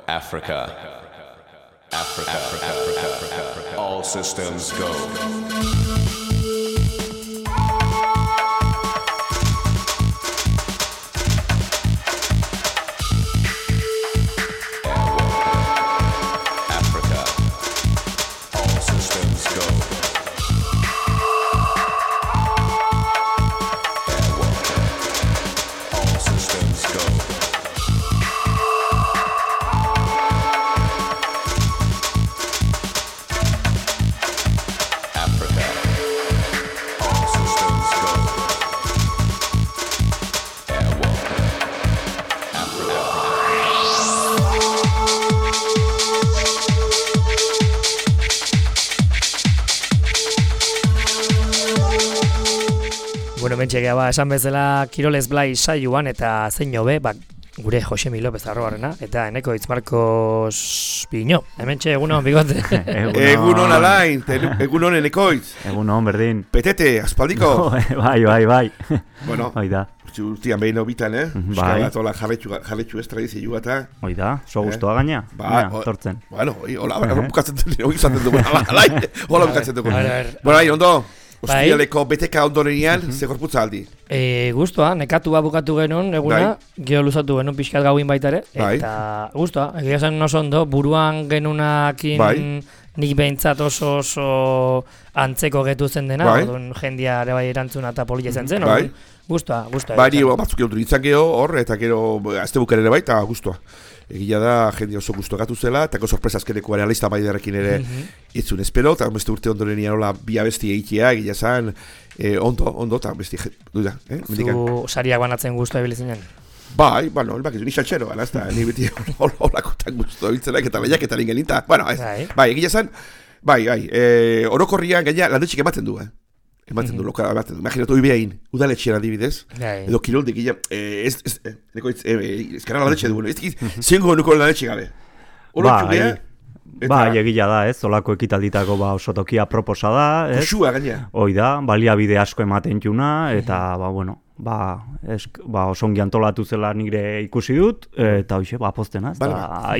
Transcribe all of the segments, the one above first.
Africa. All systems go. Mentxegea esan bezala Kirolez Blai saioan eta zein hobe, gure Josemi López Arrobarrena eta eneko Itzmarkos Piño. Hementxe egunon bigote. Egunon alain, egunon enekoitz. Egunon berdin. Petete, aspaldiko. Bai. Bueno, oida. Urtian behin hobitan, Bai. Euskal jarretxu ez tradizioa eta... Oida, so guztua gaina. Tortzen. Bueno, hola bukatzen dugu. Hola bukatzen dugu. Bueno, ondo. Ostialeko beteka ondorenean, ze korputza aldi? Guztua, nekatua bukatu genuen, eguna, gero luzatu genuen pixkat gauin baita ere, eta guztua, egia zen oso ondo, buruan genunakin nik behintzat oso antzeko getu zen dena, jendia ere bai erantzuna eta polilla zen zen, guztua. Bai, batzuk egon ditzak geho hor, eta gero azte buken ere bai, eta guztua. Egia da, jende oso guztu gatu zela, eta sorpresa azkeneko realista baidarekin ere itzun espero, eta beste urte ondorenia hola bi abesti egitea, egia zan, ondo, eta besti, duda. Zu sariak banatzen guztua ebilizinen? Bai, bueno, ni xaltxero, ez da, ni beti holakotan guztu ebiltzenak, eta behiaketan ingelinta. Bueno, bai, egia zan, bai, orokorrian gaina landetxik ematen du, ematen du, imaginatu behin, udaletxean adibidez, edo kiroldik, ezkarra landetxe dugu, zengo nuko landetxe gabe. Bai, egila da, olako ekitalditako oso tokia proposa da, Kusua gaina. Oida, baliabide asko ematen juna, eta, oso ongi antolatu zela nire ikusi dut, eta hoxe, poztena,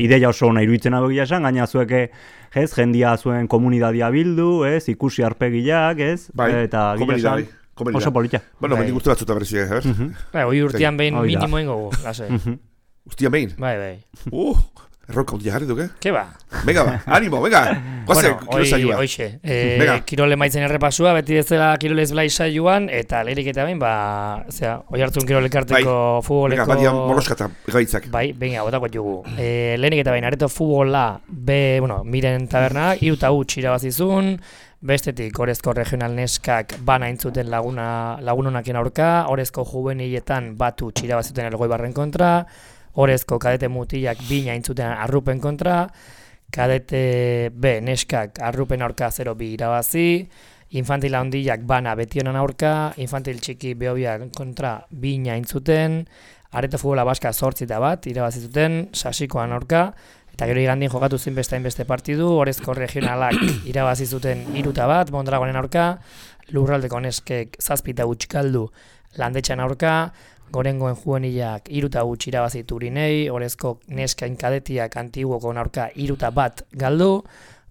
ideia oso ona iruditzen abegia esan, gaina zueke, jendia zuen komunidadia bildu, ikusi arpegiak, eta gila esan, oso politia. Bueno, mendik uste batzuta berezia, hoi urtean behin minimoen gogu, lase. Urtean behin? Bai. Erronka ondia jarri duke? Ke ba? Venga ba, animo, venga! Guazen, kirol saioa. Hoxe, kirole maitzen errepasua, beti bezala Kirolez Blai saioan, eta leherik eta behin, oi hartzun kirolekarteko futboleko... Venga, badia moloskata, gaitzak. Bai, venga, botako jugu. Lehenik eta behin, areto futbola, miren taberna, 3-1 irabazizun, bestetik, Orezko regional neskak bana intzuten lagunonakien aurka, Orezko juveniletan batu irabaziten Elgoibarren kontra, Orezko kadete mutilak bina intzuten arrupen kontra, kadete B neskak arrupen aurka 0-2 irabazi, infantil handiak bana betionan aurka, infantil txiki behobiak kontra bina intzuten, areto futbola baska 8-1 irabazi zuten, sasikoan aurka, eta gero igandien jokatu zen beste partidu, Orezko regionalak irabazi zuten 3-1, Mondragonen aurka, lurraldeko neskek 7-0 galdu landetxan aurka, Gorengoen juvenilak 3-0 irabazi Turinei, Orezko neskain kadetiak Antiguokon aurka 3-1 galdu,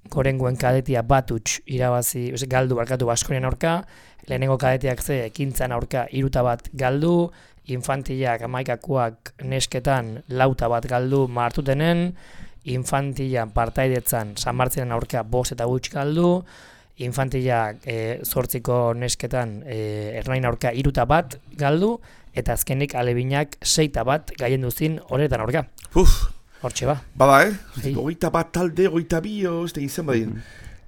Gorengoen kadetia 1-0 irabazi galdu Baskonian aurka, lehenengo kadetiak Ekintzan aurka 3-1 galdu, infantilak amaikakoak nesketan 4-1 galdu Martutenen, infantilak partaidetzan San Martzinen aurka 5-0 galdu, infantilak 8ko nesketan Ernain aurka 3-1 galdu, eta azkenik alebinak 6-1 gaien duzin horretan aurka. Hortxe ba. Bada, 21 talde, 22, ez da izan badin.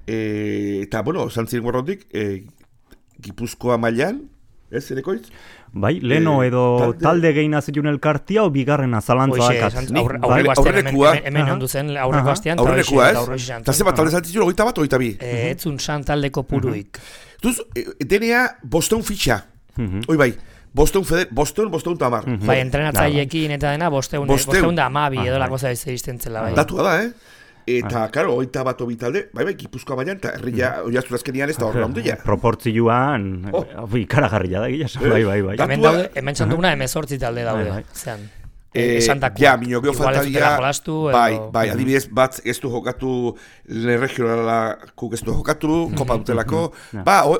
Eta, zantziren gorrondik, Gipuzkoa mailan, enekoitz? Bai, leno edo talde gehiena zetun elkartia o bigarrena zalantza dakat. Aurrekua. Hemen ondu zen aurreko astean. Aurrekua, Eta zeba talde zantzitzu 21 o 22? Etzun san taldeko puruik. Duz, denea bosteun fitxa. Hoi bai. Bosteun tamar. Bai, entrenatzaileekin eta dena bosteun da amabi edo lako zaizten zela. Datua da, Eta, karo, 21 bitalde, bai, Gipuzkoa baian, eta herria oiaztu azkenian ez da horrela ondila. Proportzioan, ikaragarria da, gila, bai. Hemen txantuguna 18 talde daude, zean. esantakoak. Ja, minokeo Igual ez dutela faltadia, jolastu, bai, adibidez, bat ez du jokatu, lehen regionalakuk ez du jokatu, kopa dutelako,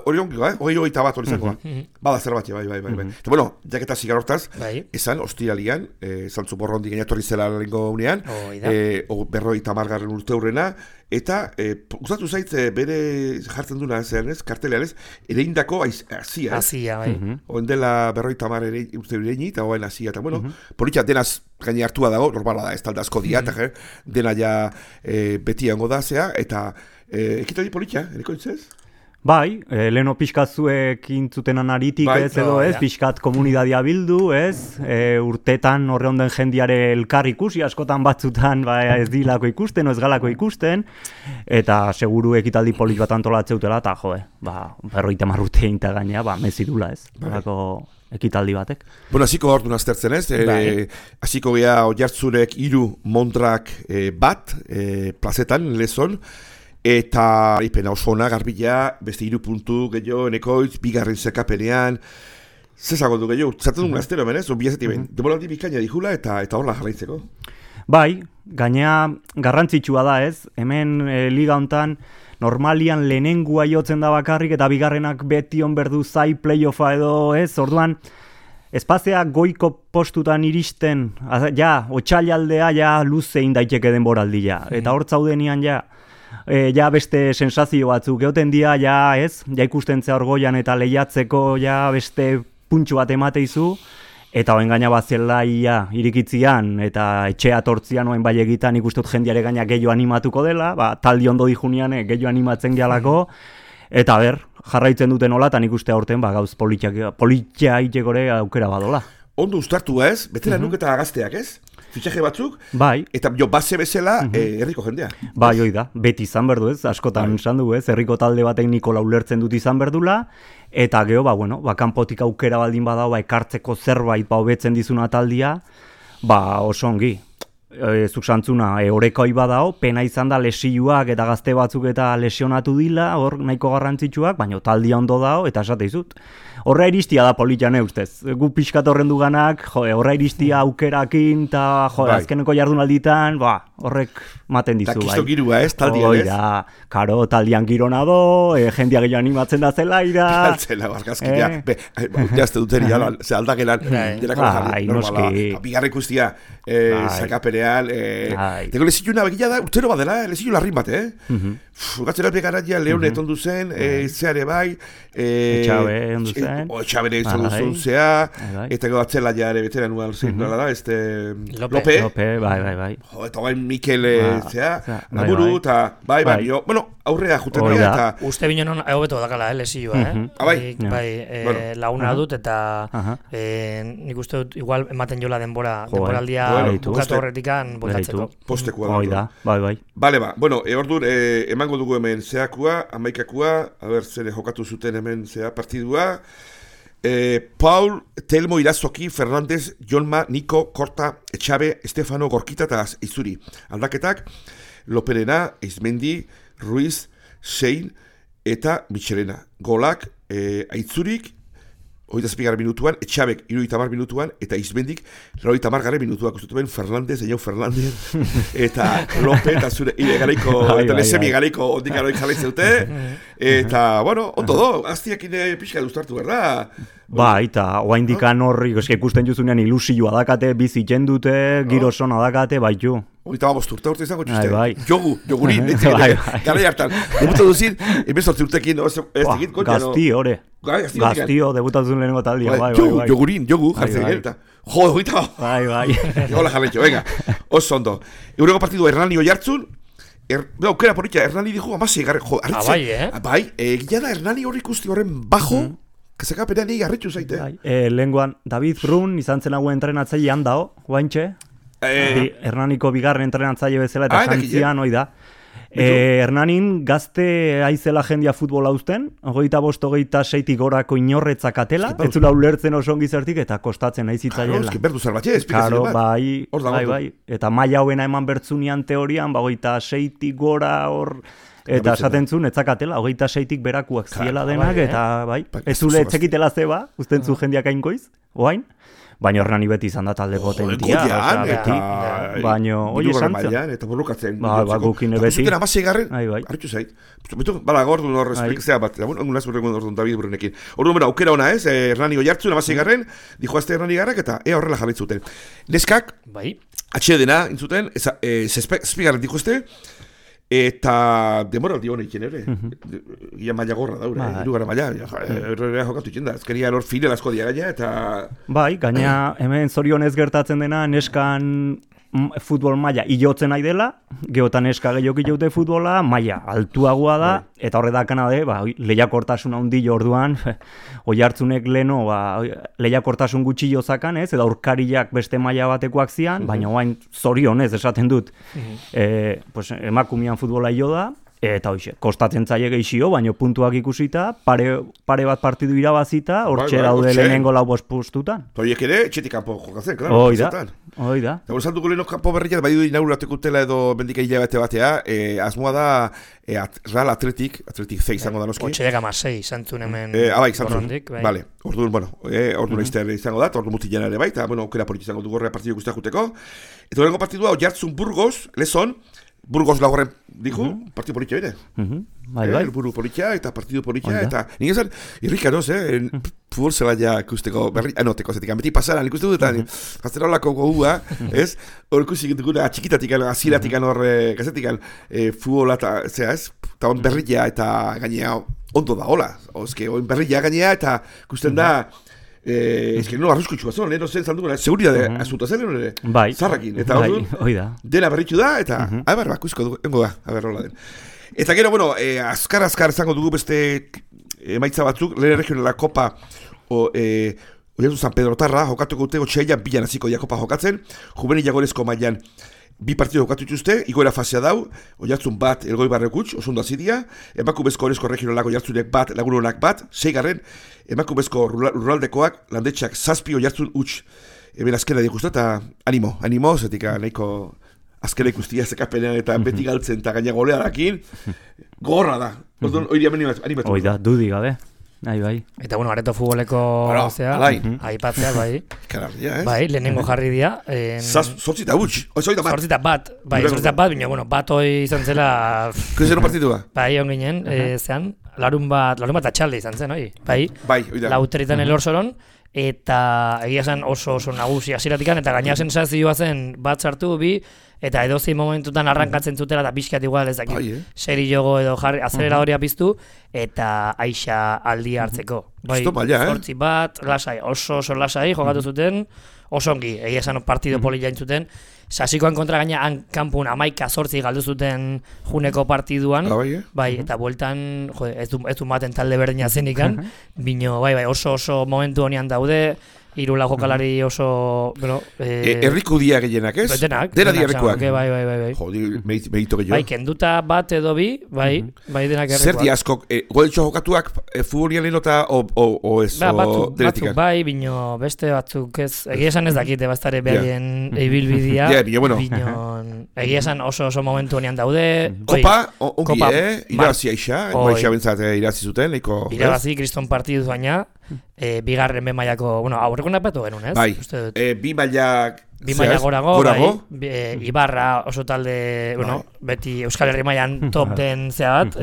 hori ongiko, hori bat hori zakoa. Bada zer bat, bai. Eta bueno, jaketa zigar hortaz, esan, ostiralian, zantzu borrondi gainatorri zela lehenko unean, 50. urte hurrena, eta gustatu zait bere jartzen duna zean ez, kartelean ez, ere indako azia. Azia, bai. Oen dela 50 urte ireini, eta oen azia, eta bueno, politxa denaz gaine hartua dago, normala da, ez talda asko dia, eta dena ja beti hango da zea, eta ekitari politxa, eriko itzez? Bai, leheno pixkat zuek intzutenan aritik ez edo ez, pixkat komunidadia bildu ez, urtetan horre onden jendiare elkar ikusi, askotan batzutan ez dilako ikusten, ez galako ikusten, eta seguru ekitaldi polit bat antolatzeutela, eta joe, 50 urte einta gainea, mezidula ez, balako ekitaldi batek. Bueno, hasiko hor duna aztertzen ez, hasiko gea Oiartzurek 3 Montrak bat, plazetan, lezon, eta ipena oso ona garbila, beste 3 puntu gehiago, enekoitz, bigarren zekapenean, zezago du gehiago, zartzen duen aztero hemen ez, biazetik behin, demoraldi bikaina dihula eta horla jarraitzeko. Bai, gainea garrantzitsua da ez, hemen liga hontan normalian lehenengua jotzen da bakarrik eta bigarrenak beti onberdu zai playoffa edo ez, orduan espazia goiko postutan iristen, otsailaldea luze indaiteke denboraldia, eta hor zaudenian beste sensazio batzuk, geoten dia ikusten zea orgoian eta lehiatzeko beste puntxu bat emateizu, eta oen gaina bazela irikitzian eta etxea tortzian oen bai egitan ikustut jendiare gaina gehiago animatuko dela, taldi ondo dijunian gehiago animatzen gehalako, eta jarraitzen duten hola, eta nik uste aurten gauz politia itekore aukera badola. Ondo ustartu ez, betela nuk eta gazteak ez? Fitxaje batzuk, bai. Eta base bezala herriko jendea. Bai, hoi da, beti izan berdu ez, askotan esan du ez, herriko talde batek Nikola ulertzen dut izan berdula, eta geho, kanpotik aukera baldin badao, ekartzeko zerbait hobetzen dizuna taldia, oso ongi. Zuk santzuna, orekoi badao, pena izan da lesioak eta gazte batzuk eta lesionatu dila, hor nahiko garrantzitsuak, baina taldia ondo dao, eta esate izut. Horra iristia da politxane ustez. Gu pixkat horren duganak, horra iristia aukerakin, eta azkeneko jardunalditan, horrek maten dizu. Eta kisto girua ez, taldian ez? Karo, taldian girona do, jendia gehiago animatzen da zelaira. Galtzela, barkazkia. Jazte duteri, ze aldakelan, delako jarri, normala. Bigarra ikustia, zakapenean, teko lezituna begila da, urtero badela, lezitun larrin bat, Gatzera begaratia Leone etondu zen, zeare bai, Etxabe ondu zen. Etxabere izan duzun zea, eta gatzela jare betera nual zen, nola da, Lope, bai. Eta bain Mikel zea, Naburu, eta bai, bueno, aurrea juten da, eta... Uste binen hobeto dakala, lesioa, Bai, laguna dut, eta nik uste dut, igual ematen jola denboraldia bukatu horretikan botatzeko. Postekua da. Bai. Bale, bueno, ordur, emango dugu hemen zeakua, amaikakua, zer jokatu zuten hemen zea partidua. Paul, Telmo, Irazoki, Fernandez, Jonma, Niko, Korta, Etxabe, Estefano, Gorkita eta Izuri. Aldaketak, Loperena, Izmendi, Ruiz, Sein eta Michelena. Golak, Aitzurik, 27 minutuan, Etxabek 70 minutuan, eta Izmendik 80 minutuak ustetuben Fernandez, eta Lope, eta zure garaiko, eta lesemi garaiko ondik aroik jaleitzeute, eta, bueno, ondo do, aztiakin pixka duztartu, berda? Eta oa indikan horri, ikusten juzunean ilusioa dakate, bizi jendute, girosona dakate, baitu. Oita urte izango txuste. Jogurin, gara hartan. Debuta duzin, emezortzi urtekin, ez egit, Gazti, hore. Gaztio, debutatu zuen lehenengo taldia, bai. Jogu, jartzen egin, oita. Bai. Hola jarretxo, venga. Oso ondo. Euroko partidu Hernani Oiartzun, aukera porritxa, Hernani dijo, amasi, bai, gila da Hernani horri ikusti horren bajo, Kazakapenean egi garritxu zaite. Lehenguan, David Brun izan zen hauen entrenatzaile handao, guaintxe. Hernaniko bigarren entrenatzaile bezala eta jantzian hoi da. Hernanin gazte aizela jendia futbola uzten, 25-26 gorako inorretzak atela, ez zula ulertzen oso ongi zertik eta kostatzen aizitzaiela. Berdu zerbatxe, esplikazio bat. Bai. Eta maila hauena eman bertzunian teorian, 26 gora hor... Eta esaten zuen, etzakatela, 26-tik berakuak ziela denak, eta bai, ez zule etxekitela zeba, usten zu jendiak ainkoiz, oain. baina Hernani beti izan da talde potentia. Goian, beti. Baina, hori esan zen. Eta borrokatzen. Gukine beti. Zuten amaseigarren, Bai. harritu zait. Bala, orduan hor esplikazea bat. Unaz urrengo orduan David Brunekin. Orduan, aukera ona ez, Hernani Oiartzun amaseigarren, dijoazte Hernani Garrak eta horrela jarritzuten. Neskak, atxedena, intzuten, zazpigarren dijoazte, eta demoraldi honek ere. Gia maila gorra daure, irugara maila. Errorea jokatu itxen da. Ezkeria hor file asko dia gaina, eta... Bai, gaina hemen zorionez gertatzen dena, neskan futbol maila ilotzen nahi dela, geotan neska gehiok ilote futbola, maila altuagoa da, eta horredakana lehiakortasun handi orduan, Oiartzunek leno, lehiakortasun gutxi jozakan, ez, eta aurkariak beste maila batekoak zian, baina oain zorionez esaten dut, emakumean futbola ilo da, eta hoxe, kostatzen zaie gehixio, baina puntuak ikusita, pare bat partidu irabazita, hortxe daude lehenengo lau postutan. Horiek ere, txetik kanpo jokatzen, klaro. Hoi da. Eta saltuko leheno kanpo berriak, bai du inaugurateko utela edo mendika hilabete batea, asmoa da Real Atletik zei izango da noski. 8,6 izantun hemen. Bai, izantun. Vale, orduan izango da, orduan mutilean ere bai, eta aukera polit izango du gorrea partidu guztiak juteko. Eta horrengo partidua, Oiartzun Burgos, Lezon, Burgos laugarren dijo, partidu politxa ere. Bai. Buru politxa eta partidu politxa, eta nik esan, irrikaroz, futbol zela ja ikusteko, teko zetik, beti pasaran ikuste dut, eta jaztera holako gogua, ez? Hor ikusi duguna txikitatik, aziratik hor, gazetik, futbola, eta berria eta gainea ondo da, hola. Berria gainea eta ikusten da, nola arruskutxua zon, no zen zalduguna, seguridade azuta zen, ere? Bai. Zarrakin, eta orduan, dena berritxu da, eta, ikusko dugu, engo da, hola den. Eta gero, azkar izango dugu beste emaitza batzuk, lehen regionala kopa, Oiartzun San Pedro Tarra, jokatuko dute, otxailan bilan hasiko dira kopa jokatzen, juvenil jagorezko mailan, bi partidu jokatu dituzte, igoera fasea dau, Oiartzun bat, Elgoi Barrekutx, osundo azidia, emakumezko Orezko regionalak Oiartzunek bat, Lagunonak bat, 6. Emakumezko Lurraldekoak, Landetxak 7, Oiartzun huts. Hemen azkena dikustu eta animo, zetik nahiko azkena ikustia zekapenean eta beti galtzen eta gaina golearakin, gorra da. Hori animatu. Hoi da, dudi gabe. Bai. Eta Areto futboleko aipatzea, bai. Kararria, ez? Bai, lehenengo jarri dira. Zortzita huts, oizoi da bat. Zortzita bat, baina, bat hoi izan zela... Kuzero partidua? Bai, onginen, zean, larun bat atxalde izan zen, oi? Bai, oida. Lauteritan elorzoron, eta egia zen oso nagusi hasieratikan, eta gaina sensazioa zen bat sartu bi, eta edozein momentutan arrankatzen zutela eta pixkat igual ez dakit seri jogo edo azeleradoria piztu eta aixa aldia hartzeko. Bai, zortzi bat, lasai, oso lasai jokatu zuten, oso ongi, egia esan partido poli jaintzuten, Sasikoan kontra gaina kanpun 11-8 galdu zuten juneko partiduan, bai, eta bueltan, ez du maten talde berdina zenikan, bino, bai, oso momentu honian daude, irula jokalari oso... Erriku dia gehienak, ez? Denak. Dena di errikuak. Bai. Jodi, mehito gehiago. Bai, kenduta bat edo bi, bai denak errikuak. Zer di askok, goletxo jokatuak futbolian lehenota o ez? Batzuk bai, bino beste batzuk ez. Egia esan ez dakite, bastare beharien ibilbidia. Egia esan oso momentu honean daude. Kopa, ongi, irabazi aixa. Aixa bentsat irabazi zuten. Irabazi, kriston partidu baina. Bigarren be mailako, aurreko napatu genuen, ez? Bai, bi mailak... Bi maila gorago, Ibarra oso talde, beti Euskal Herri mailan top den bat,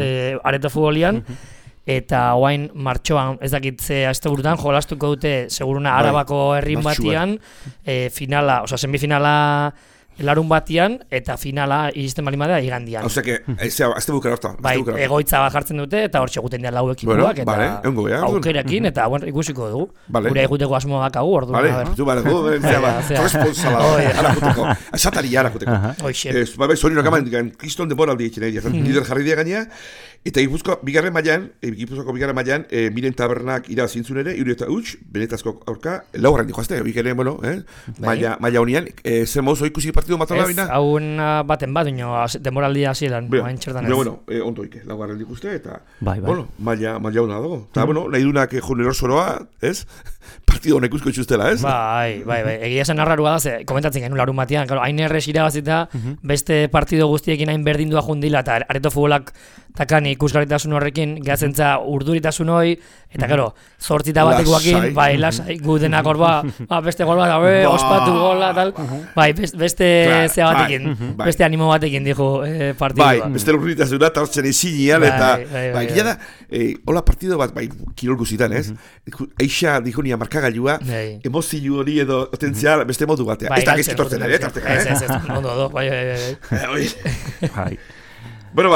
Areto futbolian, eta oain martxoan, ez dakit ze asteburutan, jolastuko dute, seguruna Arabako herrin batian, semifinala larun batian, eta finala iristen bali madea igandian. Osea que, azte bukera horta. Bai, egoitza bat jartzen dute, eta hor txeguten dira lau ekipuak, eta aukerakin, eta ikusiko dugu. Gure eguteko asmo bakagu, ordu. Responsala, arakuteko. Esatari arakuteko. Zorino akaman, kriston demoraldi etxen egia, lider jarri dia gainea, eta Gipuzkoako bigarren mailan, Miren Tabernak irazintzun ere, Iuri eta Huts, benetazko aurka, laugarren dijoazte, hori ere, maila honian, zer mozo ikusi partidu matala bina? Ez, haun baten bat, demoraldia hasieran, hain txertan ez. Ondo ike, laugarren dikuste, eta, maila hona dago. Eta, nahi dunak jonero zoroa, ez? Partidu honek ikusko itxustela, ez? Bai, egia esan arrarua da, komentatzen genuen larun batean, hain errez irabazita, beste partido guztiekin hain berdindua jundila, eta Areto futbolak takan ikusgarritasun horrekin, gazentza urduritasun hori, eta gero, 8 batekoakin, bai, lasai, gu denak hor beste gol bat, ospatu gola, tal, bai, beste zea batekin, beste animo batekin, dijo, partidua. Bai, beste urduritasuna, eta hortzen ezinean, eta, bai, gila da, hola partido bat, bai, kirol guzitan, ez? Eixa, dijo nia markagailua, emozio hori edo, otentzia, beste modu batea. Ez da gizkitortzen ere, tarteka, Ez, ondo, bai. Bueno,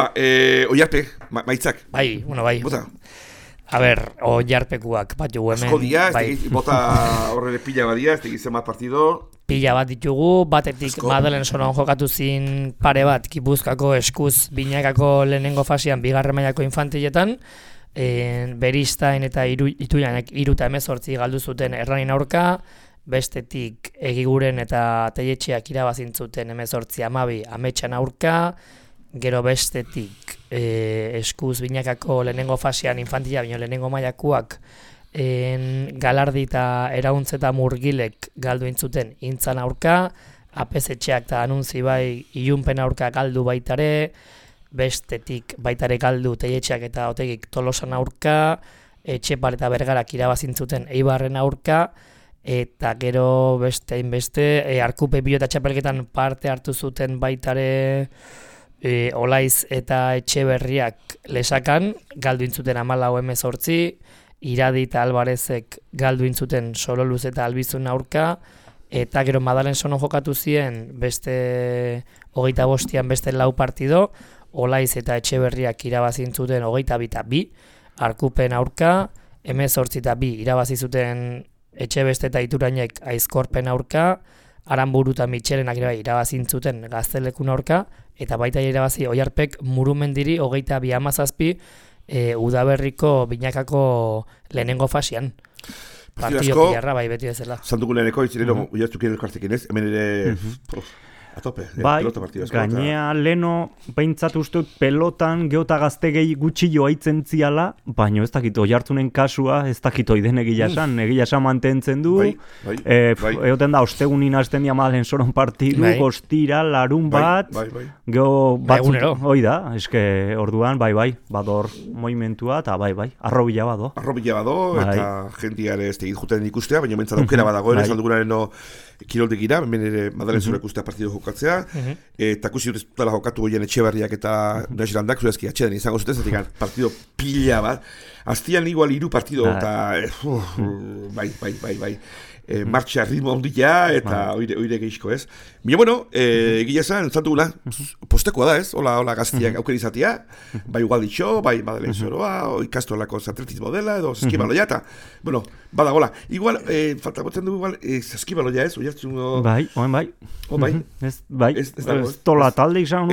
Oiarpe, maitzak. Bai, Bota. A ber, Oiarpekuak bat jugu hemen. Asko dia, bota horrele pila badia, ez tegizen bat partido. Pila bat ditugu, batetik Madelen Sonon jokatu zin pare bat, Gipuzkoako eskuz binakako lehenengo fasean bigarren mailako infantiletan, Beristain eta Ituianek 3-18 galdu zuten Erranin aurka, bestetik Egiguren eta Teietxeak irabazintzuten 18-12 Ametxan aurka, gero bestetik eskuz binakako lehenengo fasean infantila, bino lehenengo mailakoak Galardi eta Erauntz eta Murgilek galdu intzuten Intzan aurka, Apezetxeak eta Anuntzi bai Ilunpen aurka galdu baitare, bestetik baitare galdu Teietxeak eta Otegik Tolosan aurka, Etxepar eta Bergarak irabazintzuten Eibarren aurka, eta gero beste Arkupe Pilota txapelketan parte hartu zuten baitare Olaiz eta Etxeberriak Lesakan, galdu intzuten 14-18, Iradi eta Alvarezek galdu intzuten Sololuz eta Albizun aurka, eta gero Madalen Sonon jokatu zien beste 25an beste 4 partido, Olaiz eta Etxeberriak irabazintzuten 22-2, Arkupen aurka, 18-2 irabazi zuten Etxebeste eta Iturainek Aizkorpen aurka, Aranburu eta Mitxelenak irabazintzuten Gaztelekun aurka, eta baita irabazi Oiarpek Murumendiri 22-17 Udaberriko binakako lehenengo fasean. Partido pilarra bai beti bezala. Santuko leheneko, itzirero, Oiartzukin elkartekin ez, hemen ere... A tope, bai, gainea leno behintzat ustut pelotan geota gazte gehi gutxillo aitzen ziala, baina ez dakit Oiartzunen kasua, ez dakit oiden egia esan mantentzen du, egoten da, ostegunin hasten dia Madelen Sonon partidu, ostira, larun bat, geho batzut, hoi da, eske orduan, bador moimentua, eta arrobila bado. Arrobila bado, eta jentiare ez tegit juten ikustea, baina mentzat aukera badago, ere saldugunaren kiroltekira, hemen ere Madelen Sonon ikustea partidu jokatzea, eta kusi dut dela jokatu goien Etxeberriak eta Naxirandak, zuezki atxeden izango zuten, zatik partido pila bat, aztian igual 3 partido, eta bai, martxa ritmo ondila, eta oire gehizko ez. Baina, bueno, egia esan, entzatugula, postekoa da ez, hola gaztiak aukera izatea, bai igual ditxo, bai Madelen Soroa, ikastolako atletismo dela, edo zeskibaloia, eta, bueno, badagola. Igual, falta botzen dugu, igual, zeskibaloia ez, Oiartzungo... Bai. Ez tola talde izan,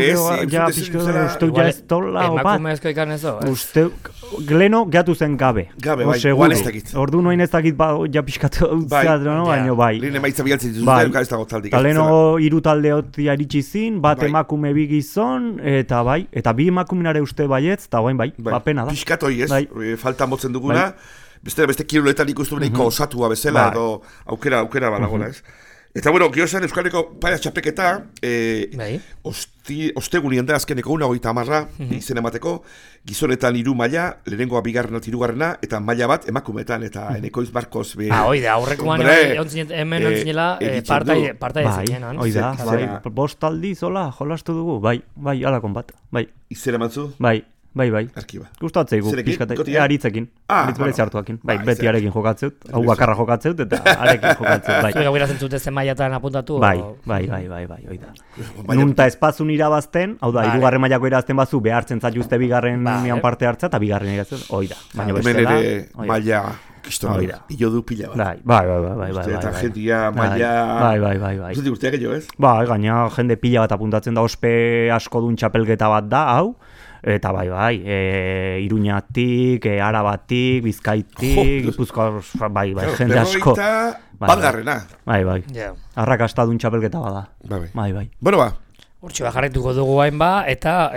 ja pixko uste ja ez tola, emakumezko ikan ez uste, Gleno gehatu zen gabe. Bai, igual ez dakit. Ordu noin ez dakit, ja pixkatu baina bai. Lehen emaitza bialtzen zuzuten, ez dago taldik. Leno 3 talde hotia iritsi zin, bat emakume 2 gizon, eta bai, eta 2 emakuminare uste baietz, eta bai, pena da. Pixkatoi ez, falta motzen duguna, beste kiroletan ikustu beniko osatua bezala, edo aukera badagola ez. Eta bueno, giosan Euskaleko paia txapeketa, ostegunien da azkeneko 1:30 izen emateko, gizonetan 3 maila, lehenengoa 2. 3. eta maila bat emakumetan, eta Enekoiz Barkoz be... Oida, aurrekoan hemen ontzinela partai ezinen. Oida, bost aldiz, hola, jolastu dugu, bai, alakon bat, bai. Izen ematzu? Bai. Arkiba. Gustatzeigu, pixkate, aritzekin, aritz hartuakin. Bai, beti arekin jokatzeut, hau bakarra jokatzeut, eta arekin jokatzeut, bai. Zuega guira zentzute zen mailatan apuntatu? Bai, oida. Nunta espazun irabazten, hau da, 2. mailako irabazten bazu, behartzen zaituzte 2. nian parte hartza, eta 2. irabazten, oida. Baina bestela, hemen ere maila kistonora, ilo du pila bat. Bai. Eta jentia maila... Bai. Zuti urteak gehiago ez? Bai, gaina jende pila bat apuntatzen da, ospe asko dun txapelketa bat da, hau. Eta bai, Iruñatik, Arabatik, Bizkaitik, Gipuzkoa, bai, jende asko. Batgarrena. Bai. Arrakastadun txapelketa bada. Bai. Bueno, ba. Hortxe jarraituko dugu hain ba, eta,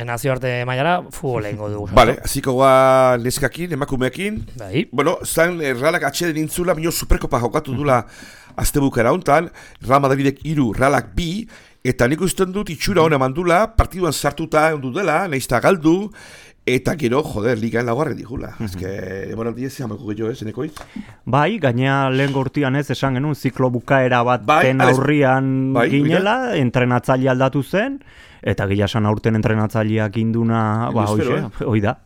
nazioarte mailara futbola ingo dugu. Vale, hasiko goa neskakin, emakumeekin. Bai. Bueno, zan Realak atxeden intzula, minio Superkopa jokatu dula azte bukera hontan, Real Madridek 3, Realak 2, eta nik usten dut itxura hona mandula, partiduan sartuta ondu dela, naizta galdu, eta gero, ligaen laugarren digula. Ezke, emoraldi ez amako gehiago, enekoiz? Bai, gaina lehen gortian esan genuen, ziklo bukaera baten aurrian ginela, entrenatzaile aldatu zen, eta gila esan aurten entrenatzaileak induna, hoi da.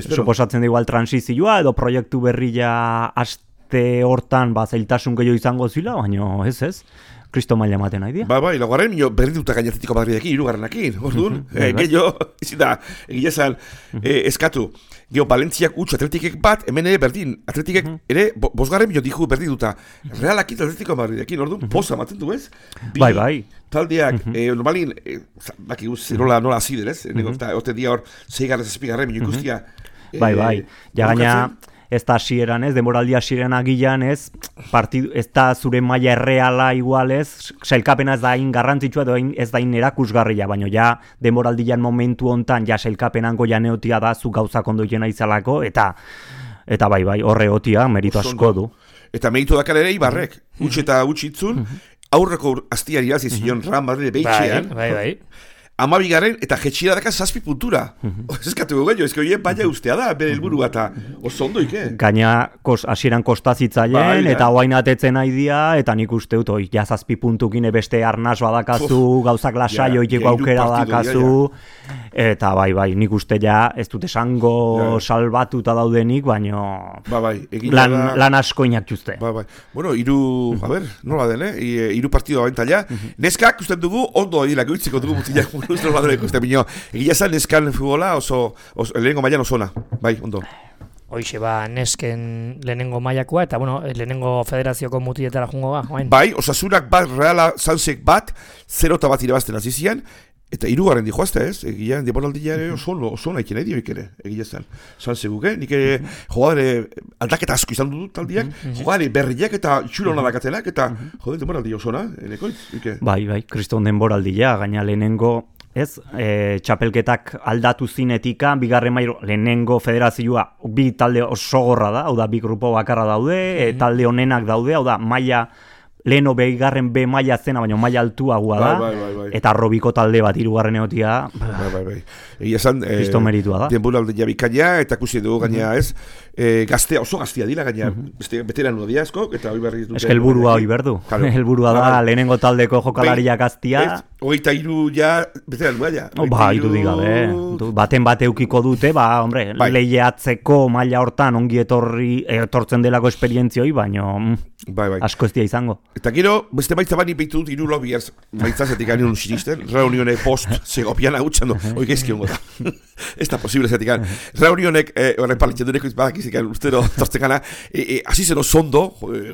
Suposatzen da igual transizioa, edo proiektu berria aste hortan zailtasun gehiago izango zila, baina ez. Kristo maila ematen nahi dia. Bai, laugarren minio berrituta gaina Atletico Madridekin, irugarrenakin, orduan. Gehiago, ezin da, egia esan, eskatu. Geo, Valentziak utxu Atletikek bat, hemen ere berdin. Atletikek ere, bosgarren minio dihu berdituta. Realakit Atletico Madridekin, orduan, poza ematen du ez? Bai. Taldeak, normalin, baki guz, nola azider ez? Ote dia hor, 6 zazpigarren minio ikustia. Bai, ja gaina... Ez da hasieran ez, demoraldi hasieran agilan ez, ez da zure maila erreala igual ez, sailkapena ez da hain garrantzitsua edo ez da hain erakusgarria, baina ja demoraldian momentu hontan ja sailkapenango ja neotia da zu gauzak ondo jena izalako, eta bai, horre otia merito asko du. Eta meritu dakar ere Ibarrek, utxe eta utxitzun, aurreko astiari azizion Real Madrid behitxean, Bai. 12 eta jetxira daka 7 puntura. Eskatu gehiago, ezko hien baina ustea da, bere helburua eta oso ondo ike. Gaina hasieran kostazitzaileen, eta oain atetzen nahi dia, eta nik uste dut, ja 7 puntukin beste arnaz badakazu, gauzak lasai oiteko aukera dakazu, eta bai, nik uste ja, ez dut esango salbatuta daudenik, baina lan asko inakuzte. Bueno, nola den, hiru partido abentalla. Neskak usten dugu, ondo hilak uitziko dugu mutinak egia zan neskan futbola oso lehenengo mailan oso ona, bai, ondo. Hoixe, nesken lehenengo mailakoa, eta lehenengo federazioko mutietara jungo Bai, Osasunak bat, Reala Sanzek bat, 0-1 irabazten azizian, eta hirugarren dijoazte ez, egia, demoraldia ere oso nahi nahi dioik ere, egia zan. Sanzeguk, nik ere jogadere aldaketa asko izan dut taldiak, jogadere berriak eta txuro hona dakatenak, eta demoraldia oso na, enekoitz? Bai, kriston denboraldia, gaina lehenengo, ez, txapelketak aldatu zinetika, bigarren mailo, lehenengo federazioa, bi talde oso gorra da, hau da, bi grupo bakarra daude, talde honenak daude, hau da, maila, leheno behigarren B maila zena, baina maila altuagoa da, eta robiko talde bat hirugarren egotia, egia esan, meritua da. Denboraldi jabikaina, eta kusi dugu gaina ez, oso gaztia dira gaina, beteran dia asko, eta hori berri dute. Ez que helburua hori berdu, helburua da, lehenengo taldeko jokalaria gaztia. Hogeita hiru ja, beteran ja. Hiru digabe, baten bate eukiko dute, lehiatzeko maila hortan ongi etortzen delako esperientzioi, baina asko ez dia izango. Eta gero, beste baitza bani peitu dut, iru lobiaz baitzazetik anien sinisten, reunione post segopian agutxan du, oik ezkiongo da. Ez da posible zetik an. Reunionek, horren palitxan dureko izbadak izikan ustero tortzekana, hasi zen osondo,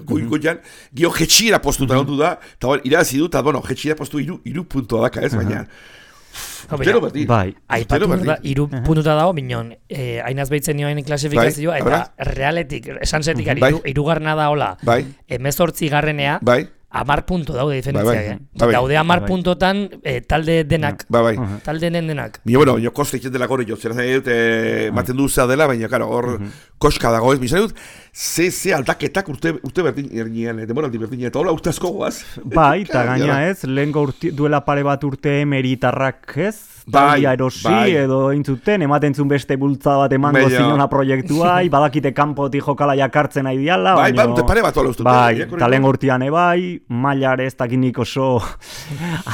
goian, gio jetxira postuta ondu da, eta irazi dut, eta jetxira postu iru puntua daka ez, baina. Iru puntuta dago, minon, hainaz behitzen nioen klasifikazioa, eta realetik, esan zetik, irugarna da hola, 18 garrenea, 10 punto daude diferentziak, daude 10 puntotan talde denak, talde denak. Bueno, koste itzen dela gore jo, zera dut, maten duzea dela, baina, hor, koska dago ez, bizan dut, ze aldaketak urte berdin erdinean, demoraldi berdinean, eta hola urte asko goaz. Bai, eta gaina ez, lehenko duela pare bat urte emeritarrak ez, taldia erosi edo intzuten, ematen zuen beste bultza bat emango zinona proiektua, badakite kanpotik jokala jakartzen nahi diala. Bai, pare bat hola ustut. Bai, eta lehen gortian bai, mailare ez dakinik oso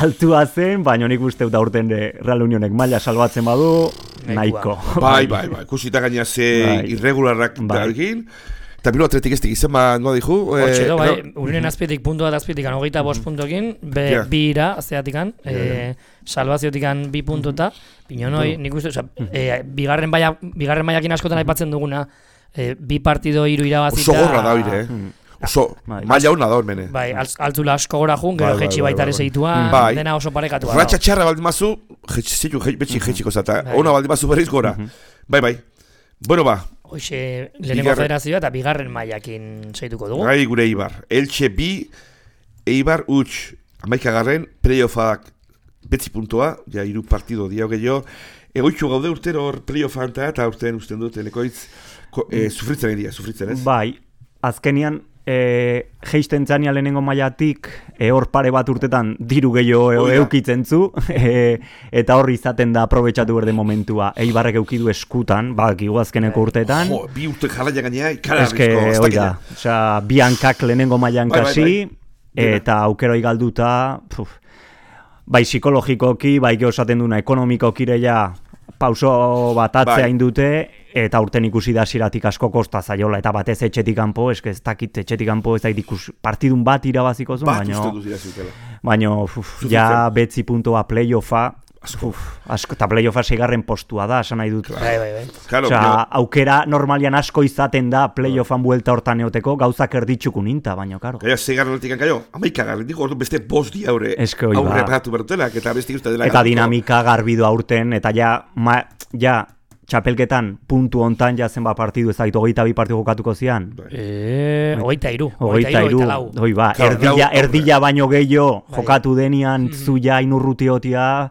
altua zen, baina nik uste da urten Real Unionek maila salbatzen badu, nahiko. Bai, kusita gaina ze irregularrak dalgin. Eta bilo atletik ez dikizen, noa dihu? Hortxe do, urinen azpietik, puntu bat azpietikan, 25 puntokin, bi ira, azteatikan, salvaziotikan 2 puntuta, pinonoi, nik uste, bigarren maiakin askotan aipatzen duguna, 2 partido 3 irabazita. Oso gorra da hori, oso, maila hona da hor mene. Bai, altzula asko gora jun, gero jetxi baitare zeitua, dena oso parekatu. Ratxa txarra baldin mazu, jetxiko zata, ona baldin mazu berriz gora. Bai. Bueno Hoxe, lehenengo federazioa eta bigarren mailakin zeituko dugu. Gai gure Eibar. Elche bi, Eibar utx. 11garren, playoffak 9 puntua, ja 3 partido diau gehiago. Egoitxu gaude urtero hor playoffan eta urten usten dut, elekoitz, sufritzen ez? Bai, azkenian geisten zania lehenengo mailatik, hor pare bat urtetan diru gehiago eukitzen zu, eta hor izaten da aprobetxatu berde momentua. Eibarrek eukidu eskutan, bakigu azkeneko urteetan. Jo, 2 urte jarraia gainea, ikara oida, bi hankak lehenengo mailan kasi, eta aukeroi galduta, bai psikologikoki, bai geosaten duna ekonomikokireia pauso bat atzea indute, eta urten ikusi da hasieratik asko kosta zaiola, eta batez etxetik kanpo, ez dakit etxetik kanpo ez dakit partidun bat irabaziko zuen, baina ja betzi puntoa playoffa, eta playoffa 6. postua da, esan nahi dut. Aukera normalian asko izaten da playoffan buelta hortan eoteko, gauzak erditxukun inta, baina, karo. Gaia 6. kaio, 11. digo, ordu beste 5 dia aurre pagatu bertutelak, eta beste uste dela. Eta dinamika garbidu aurten, eta ja, txapelketan puntu hontan ja zenba partidu, ez dakit 22 partidu jokatuko zian. 23. Hoi ba, erdila baino gehiago jokatu denian zuia inurrutiotia.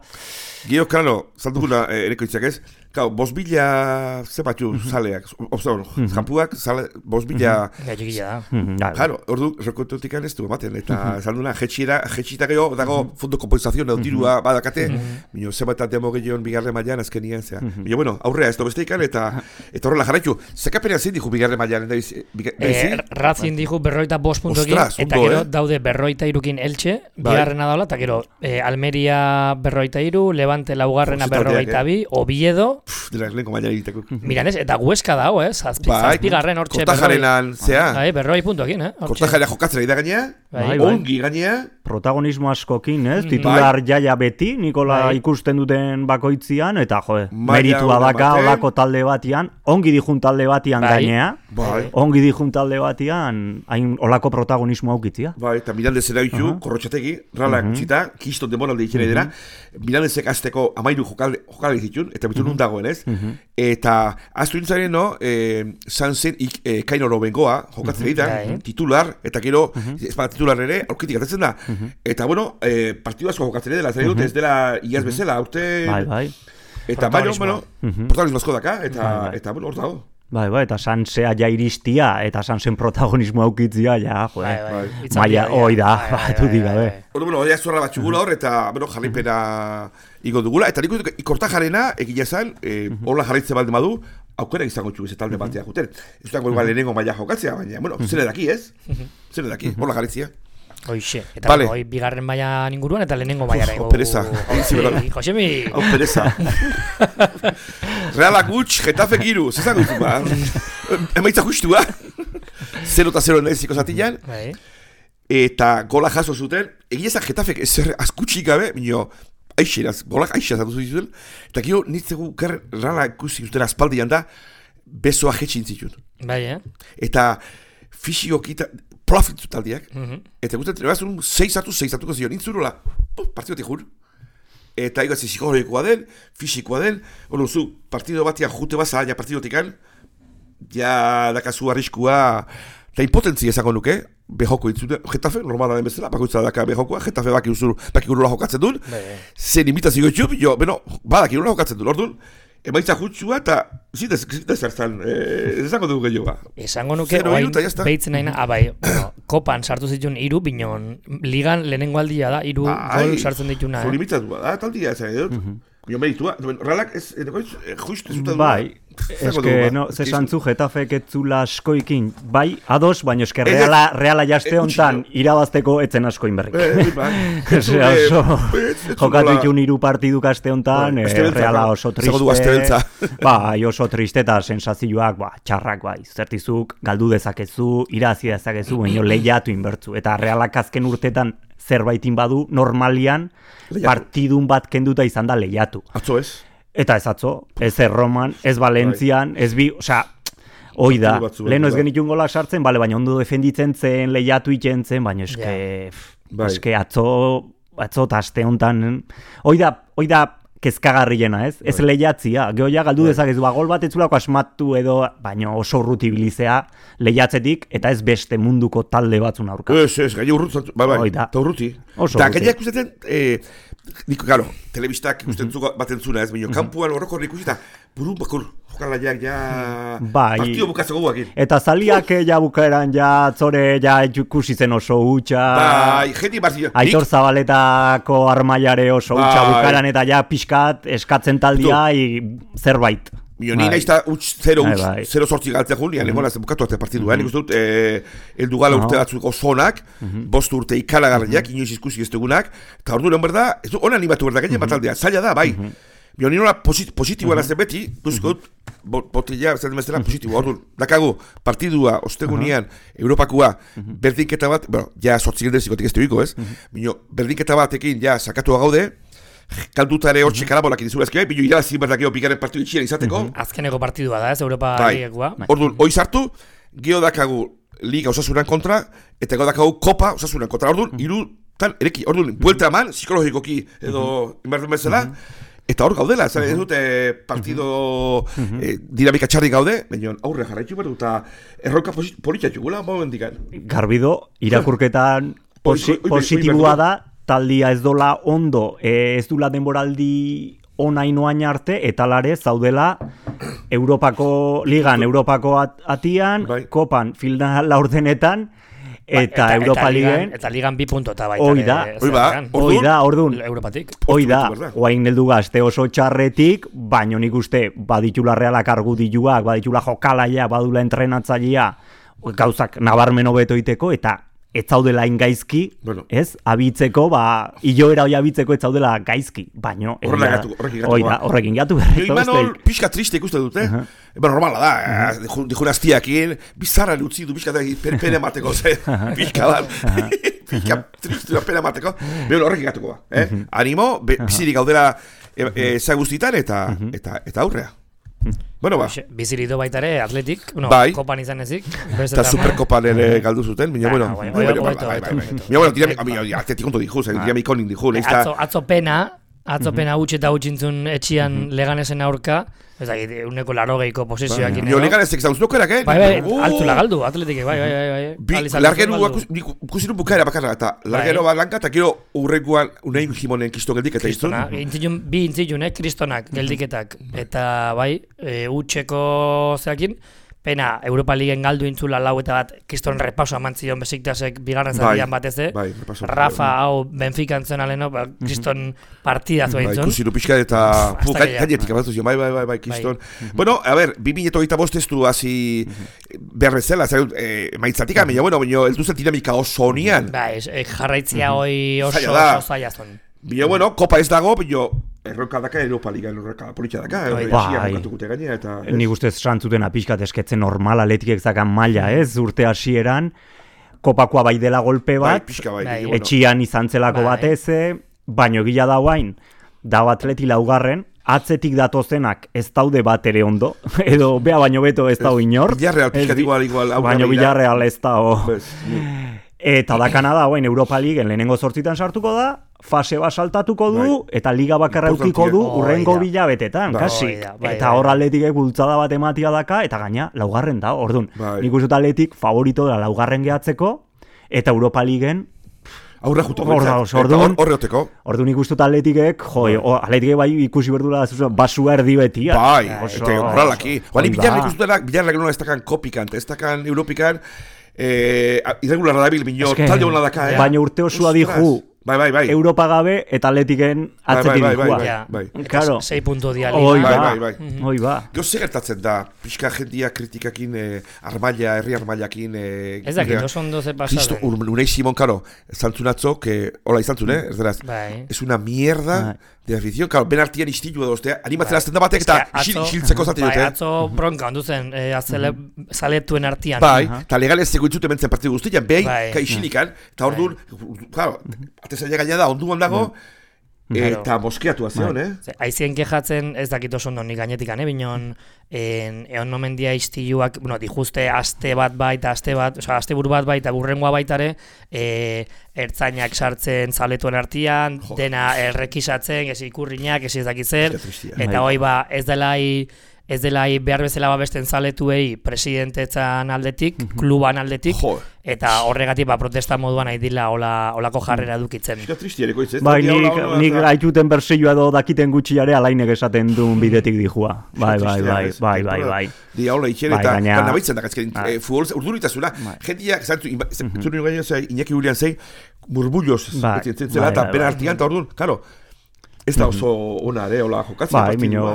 Gio, klaro, zalduguna erekoitzak ez, 5.000 zepatxu zaleak, jampuak, 5.000... Claro, ordu, rekontutik ez du ematen, eta zalduna, jetxita gehiago, dago fondo kompensazioa, edo dirua badakate, minio zebat demo gehiagoan bigarren mailan azkenien, zera. Minio, bueno, aurrea ez dobeste ikan, eta horrela jarraitu. Zekapenean zein dihu bigarren mailan, Racing dihu 45 puntokin, eta gero daude 43 Elche, bigarrena daula, eta gero Almeria 43, Levante laugarrena 42, Oviedo, Miranez, eta Huesca dago, zazpigarren hortxe Kortajarenan, zea? Berroi puntokin, Kortajarea jokatzera da gainea, ongi gainea. Protagonismo askokin, titular jaia beti, Nikola ikusten duten bakoitzian, eta meritua daka olako talde batian, ongi dijun talde batian gainea, ongi dijun talde batian, hain olako protagonismo aukitzia. Eta Mirandezera ditu, Korrotxategi, rala gutxita, kiston demoralde ikere dira, Mirandezek azteko 13 jokale ditun, eta bitu nun dagoen ez, eta aztu nintzaren, Sanzen Kainoro bengoa, jokatzen egiten, titular, eta gero, ez bada titular ere, aurkitik atatzen da. Eta, bueno, partidu asko jokatzen dela, ez dela iaz bezala, aurte... Eta, protagonismo asko daka, eta, bueno, hor dago. Bai, eta Sansea ja iristia, eta Sansen protagonismo aukitzia, ja, maia, hoi da, batu digabe. Bueno, ja zuarra bat txugula hor, eta, bueno, jarripena igo dugula, eta nik Kortajarena, egila zan, hola jarritze balde madu, aukera izango txugu talde batea juten. Ez dutango lehenengo maia jokatzea, baina, bueno, zene daki, ez? Zene daki, hola jarritzia. Hoixe, eta hoi bigarren maia inguruan eta lehenengo maiara. Pereza. Josemi. Pereza. Realak gutx, Getafe giru, zezango ditu ba. Emaitza justua. 0-0 neziko zatilan. Eta gola jaso zuten. Egia ezak Getafek ezer azkutxik gabe, minio, aixeraz, golak aixeraz atu zuten. Eta gero nitzegu realak ikusi zuten aspaldian da, besoa jetxin zituen. Eta fisikokita... Profit taldiak, eta guztat trebazun 6 hartuko zion, intzurula, partidotik jur. Eta egatzen psikologikoa den, fisikoa den, hori zu, partido batia jute baza, ja partidotikan, ja dakazu arriskua, eta impotentzia esango nuke, behoko intzune, Getafe, normala den bezala, bakoitza daka behokoa, Getafe baki urula jokatzen duen, zen imitazio itxup, jo, badak urula jokatzen duen, orduan, emaitza jutsua eta zita zertzan, esango dugu gehiagoa. Esango nuke, oain behitzen nahi kopan sartu zituen 3, binon, ligan lehenengo aldia da, 3 gol sartzen dituna. Limitazua da, taldia esan edut. Jo meritua, realak ez, justu zuta du. Bai, eske, zesantzu Getafek etzula askoikin, bai, ados, baina eske reala jaste hontan irabazteko etzen askoin berrik. Jokatu itun 3 partiduk aste hontan, reala oso triste. Bai, oso triste eta sensazioak, txarrak, bai, zertizuk, galdu dezakezu, irazi dezakezu, baina lehiatu inbertzu. Eta realak azken urtetan zerbaitin badu, normalian, partidun bat kenduta izan da lehiatu. Atzo ez? Eta ez atzo, ez Erroman, ez Valentzian, ez bi, hoi da, leheno ez genitun gola sartzen, baina ondo defenditzen zen, lehiatu iten zen, baina eske atzo eta aste honetan, hoi da kezkagarriena, ez? Ez lehiatzia, gehoia galdu dezakezu, gol bat etzulako asmatu edo, baina oso urrutibilizea lehiatzetik, eta ez beste munduko talde batzun aurka. Ez, gai urrutzen, bai, eta urruti. Eta gaiak ustetzen, niko, garo, telebistak usten baten zuna ez, baina kampuan horroko ikusi eta Buru bakur, jokalaiak ja Bai. Partido bukatzeko guakin. Eta zaliak ja bukaeran ja zore ja ikusi zen oso hutsa. Bai, jenti barzio. Aitor Zabaletako armailare oso hutsa bukaeran eta ja pixkat eskatzen taldia zerbait. Ni naiz da 0-8 galtzea jun, nian egon bukatu arte partidua. Nik uste dut, eldu gala urte batzuk osonak, 5 urte ikalagarriak, inoiz ikusi ez dugunak, eta ordu lehen berda, ez du hona animatu berda, gainen bataldea, zaila da, bai. Ni nola positiboa nazten beti, duzko dut, botella, ez da positiboa, ordu, dakagu, partidua, ostegunian, Europakua, berdinketa bat, ja, 8 gildezikotik ez duiko, ez? Berdinketa batekin, ja, sakatua gaude, kalduta ere hortxe karabolak indizura ezki bai, bino irabazi berdakeo pikaren partidu itxian izateko. Azkeneko partidua da, ez, Europa Ligakoa. Orduan, hoi sartu, geho dakagu Liga Osasunan kontra, eta geho dakagu Kopa Osasunan kontra. Orduan, irutan, ereki, orduan, buelta eman, psikologikoki edo inberdun bezala, eta hor gaudela, ez dut partido dinamika txarri gaude, baina aurre jarraitu behar dut, eta erroka politiatu gula, momendikan. Garbido, irakurketan positiboa da, taldia ez dola ondo, ez dula denboraldi onainoain arte, eta lare zaudela Europako ligan, Europako atian, kopan, final laurdenetan, eta Europa Ligen... Eta ligan 2 puntota baita. Hoi da, orduan. Europatik. Hoi da, oain heldu gazte oso txarretik, baino nik uste baditula realak argudilluak, baditula jokalaia, badula entrenatzailea, gauzak nabarmen hobeto iteko, eta ez zaudela ingaizki, ez? Abitzeko, hiloera hori abitzeko ez zaudela gaizki, baino... Horrekin gatu berretu. Imanol, pixka triste ikuste dute, normala da, dijun aztiakin, bizarra utzi du pixka pena mateko, pixka bat, pixka triste pena mateko, behar horrekin gatuko ba. Animo, bizirik gaudela zaguztitan eta aurrea. Bueno, ba. Bizirido baita ere, atletik, kopan izan ezik. Eta superkopan ere galdu zuten, baina, atletik onto diju, dinamik onin diju. Atzo pena utxe eta utxintzun etxian Leganesen aurka, ez da, uneko 80ko posesioak inego. Leganesek zauzloko erak, Bai, altzula galdu, atletik, bai. Largero kusirun bukaera bakarra, eta largero bat lanka, eta gero urrengoan unein jimonen kisto geldik eta iztun. Bi intzilun, kristonak geldiketak, eta bai, utxeko zeakin, pena Europa Ligen galdu intzula lau eta bat kriston repaso amantzion Besiktasek bigarren zatian batez, Rafa hau Benfica entzuen aleno, kriston partidazu entzun. Kusiru pixka eta gainetik abatu zion, bai, kriston. Bueno, a ver, 2025 ez du hasi berrezela, maitzatik amina, baina ez duzen dinamika oso honian. Bai, jarraitzia hoi oso zaila zon. Bino, kopa ez dago, bino, erronka daka, Europa Liga, erronka politxa daka, Nik ustez santzuten apixkat esketzen normal atletikek zakan maila, ez, urte hasieran, kopakoa bai dela golpe bat, etxian izan zelako batez, baino gila da guain, da atleti laugarren, atzetik datozenak ez daude bat ere ondo, edo bea baino beto ez dau inor, baino Villarreal ez dau. Eta dakana da, Europa Ligen lehenengo 8 sartuko da, fase bat saltatuko du, eta liga bakarra eukiko du urrengo bilabetetan, kasi. Eta hor atletikek bultzada bat ematia daka, eta gaina laugarren da, orduan. Nik uste atletik favorito da laugarren gehatzeko, eta Europa Ligen aurre juteko, horreoteko. Orduan ikustut atletikek, atletikek bai ikusi berdula basua erdi betia. Bai, eta horralaki. Bani bilarra ikustutenak, bilarra nola ez dakan kopikan, ez dakan europikan, irregularra dabil, bineo, talde hona daka, baina urte osua dihu, Bai. Europa gabe eta atletiken atzetik dikua. Bai. 6 puntu dia liga. Hoi ba. Gero segertatzen da, pixka jendia kritikakin, herri armailakin... Ez dakit, oso ondo ze pasaden. Unai Simon, karo, zantzunatzok, hola izantzun, ez deraz, es una mierda de afición, karo, ben artian istilu edo, animatzen azten da batek eta xiltzeko zaten dute. Bai, atzo bronka ondu zen, zaletuen artian. Bai, eta legalez zeko intzuten mentzen partidu guztian, behin, isilikan, eta hor duen, karo, atezaila gaina da, onduan dago, eta moskeatu azion, Aizien kejatzen, ez dakit oso ondo nik gainetikan, binon, egon nomendia istiluak, dijuzte aste bat baita, aste buru bat baita, burrengoa baitare, ertzainak sartzen zaletuen artian, dena errekisatzen, ez ikurriñak, ez dakit zer, eta hoi ez delai ez dela behar bezala babesten zaletuei presidentetzan aldetik, kluban aldetik, eta horregatik protesta moduan nahi dila olako jarrera dukitzen. Bai, nik haituten bersioa edo dakiten gutxiare alainek esaten duen bidetik dijua. Bai. Di haula itxere eta nabaitzen da, futbol urduritasuna, jentiak, zure nire gaino Iñaki Julian zei, burbulloz, zela eta pena artigan, eta orduan, karo, ez da oso ona, hola jokatzen. Bai, minio,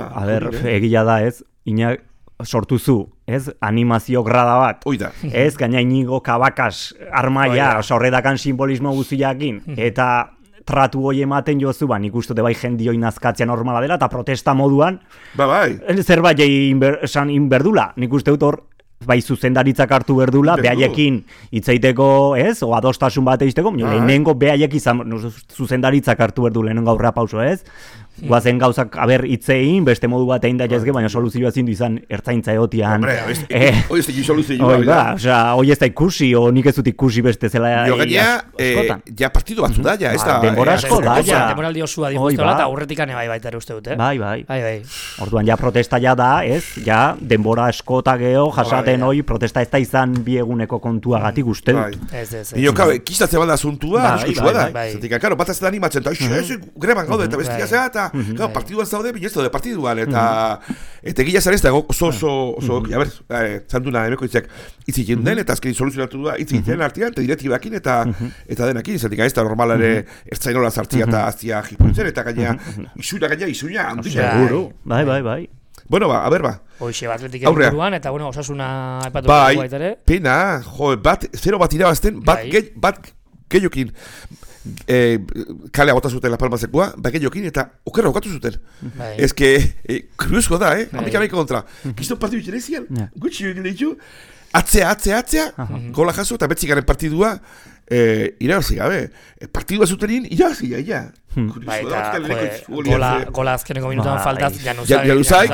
egia da ez, Iñak sortuzu, ez, animazio grada bat. Oida. Ez, gaina Inigo Kabakas armaia, horredakan simbolismo guztiakin, eta tratu hoi ematen jozu, nik uste bai jendioi nazkatzea normala dela, eta protesta moduan, zerbait esan inberdula, nik uste dut hor, bai zuzendaritzak hartu berdula, behaiekin hitzaiteko, ez, o adostasun bat egiteko, lehenengo behaiek izan, zuzendaritzak hartu berdu lehenengo aurra pauso, ez, guazen gauzak, hitzein, beste modu bat egin da jazke, baina soluzioa zindu izan ertzaintza egotian. Hoi ez da soluzioa. Hoi ez da ikusi, o nik ez dut ikusi beste zela. Jo gaina, ja partidu batzu da, ja, ez da. Denbora asko da, ja. Demoraldi osua diguztola, eta aurretikane baita ere uste dut, Bai. Orduan, ja protesta ja da, ez, ja, denbora asko eta geho, jasaten hoi, protesta ez da izan bieguneko kontuagatik uste dut. Nio, kistatze bada asuntua, askusua da. Zatik, karo, bat ez da animatzen, eta greban gaude, eta bestia zea, eta partiduan zaude, binezto de partiduan, eta gila zara ez da, oso, a ber, zantuna emeko itzak itzik den, eta azkeni soluzionatu da itzik den artean, eta direktibakin, eta denakin, zatik, ez da normalare ertzainola zartzia eta aztia jipuitzen, eta gaina, isuina, handia. Bai. Bueno, a ber, Hoxe, atletik buruan, eta bueno, osasuna epatu bai, pena, zero bat irabazten, bat gehiokin kalea bota zuten La Palma zekua, gehiokin, eta okerra okatu zuten. Ez que, kuriusko da, Amerika kontra. Kiston partidu itxerezian, gutxi ditu, atzea, gola jaso, eta betzikaren partidua, irabazi gabe. Partidua zutenin, irabazi, ja. Bai, eta gola azkeneko minutuan faltaz, januzai,